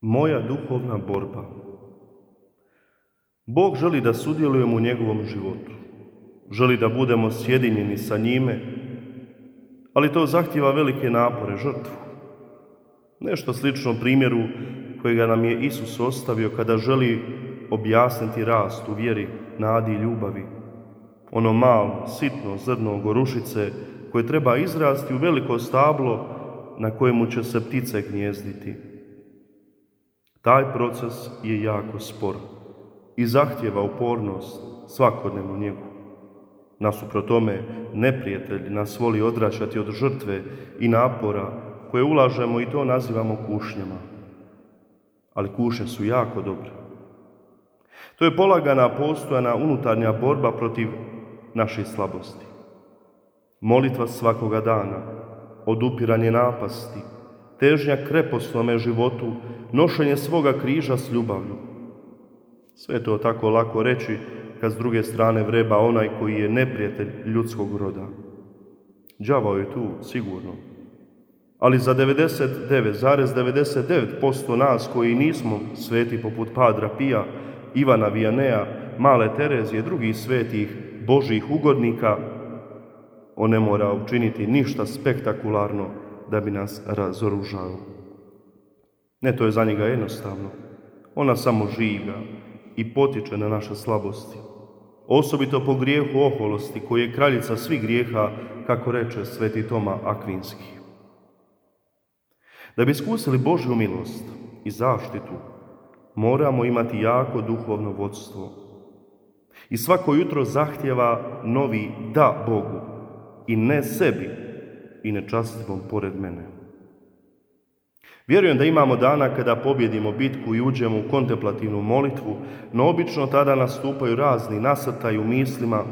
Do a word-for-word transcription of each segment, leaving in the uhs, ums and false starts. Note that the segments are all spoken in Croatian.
Moja duhovna borba. Bog želi da sudjelujemo u njegovom životu. Želi da budemo sjedinjeni sa njime, ali to zahtijeva velike napore, žrtvu. Nešto slično primjeru kojega nam je Isus ostavio kada želi objasniti rast u vjeri, nadi i ljubavi. Ono malo, sitno zrno gorušice koje treba izrasti u veliko stablo na kojemu će se ptice gnjezditi. Taj proces je jako spor i zahtijeva upornost svakodnevnu njegu. Nasuprot tome, neprijatelj nas voli odvraćati od žrtve i napora koje ulažemo i to nazivamo kušnjama. Ali kušnje su jako dobre. To je polagana, postojana unutarnja borba protiv naših slabosti. Molitva svakoga dana, odupiranje napasti, težnja kreposnome životu, nošenje svoga križa s ljubavlju. Sve je to tako lako reći kad s druge strane vreba onaj koji je neprijatelj ljudskog roda. Đavao je tu, sigurno. Ali za devedeset devet zarez devedeset devet posto nas koji nismo sveti poput Padra Pija, Ivana Viannea, Male Terezije, drugih svetih Božjih ugodnika, on ne mora učiniti ništa spektakularno da bi nas razoružao. Ne, to je za njega jednostavno. Ona samo žiga i potiče na naše slabosti. Osobito po grijehu oholosti, koji je kraljica svih grijeha, kako reče sveti Toma Akvinski. Da bi iskusili Božju milost i zaštitu, moramo imati jako duhovno vodstvo. I svako jutro zahtjeva novi da Bogu i ne sebi i nečastivom pored mene. Vjerujem da imamo dana kada pobjedimo bitku i uđemo u kontemplativnu molitvu, no obično tada nastupaju razni nasrtaji u mislima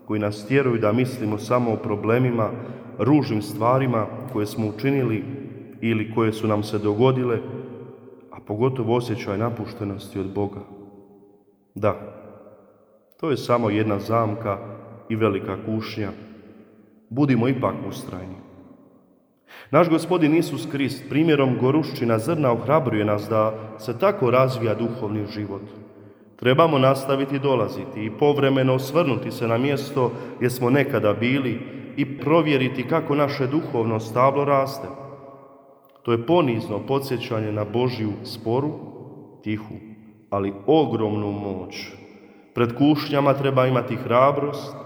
koji nas tjeraju da mislimo samo o problemima, ružnim stvarima koje smo učinili ili koje su nam se dogodile, a pogotovo osjećaj napuštenosti od Boga. Da, to je samo jedna zamka i velika kušnja. Budimo ipak ustrajni. Naš Gospodin Isus Krist primjerom goruščina zrna ohrabruje nas da se tako razvija duhovni život. Trebamo nastaviti dolaziti i povremeno osvrnuti se na mjesto gdje smo nekada bili i provjeriti kako naše duhovno stablo raste. To je ponizno podsjećanje na Božju sporu, tihu, ali ogromnu moć. Pred kušnjama treba imati hrabrost,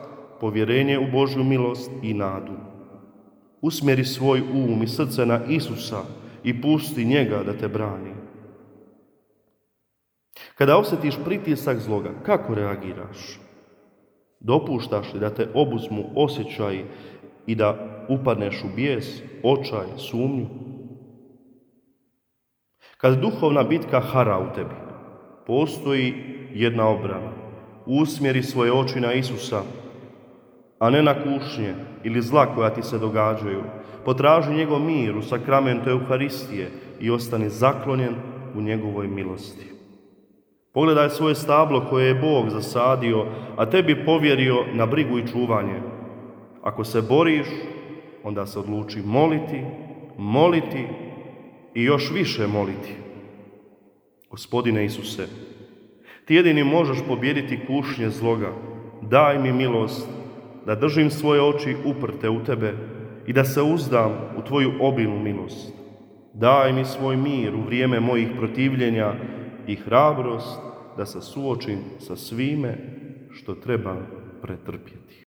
povjerenje u Božju milost i nadu. Usmjeri svoj um i srce na Isusa i pusti njega da te brani. Kada osjetiš pritisak zloga, kako reagiraš? Dopuštaš li da te obuzmu osjećaji i da upadneš u bijes, očaj, sumnju? Kad duhovna bitka hara u tebi, postoji jedna obrana. Usmjeri svoje oči na Isusa, a ne na kušnje ili zla koja ti se događaju. Potraži njegov mir u sakramentu Euharistije i ostani zaklonjen u njegovoj milosti. Pogledaj svoje stablo koje je Bog zasadio, a tebi povjerio na brigu i čuvanje. Ako se boriš, onda se odluči moliti, moliti i još više moliti. Gospodine Isuse, ti jedini možeš pobijediti kušnje zloga. Daj mi milost da držim svoje oči uprte u tebe i da se uzdam u tvoju obilnu milost. Daj mi svoj mir u vrijeme mojih protivljenja i hrabrost da se suočim sa svime što treba pretrpjeti.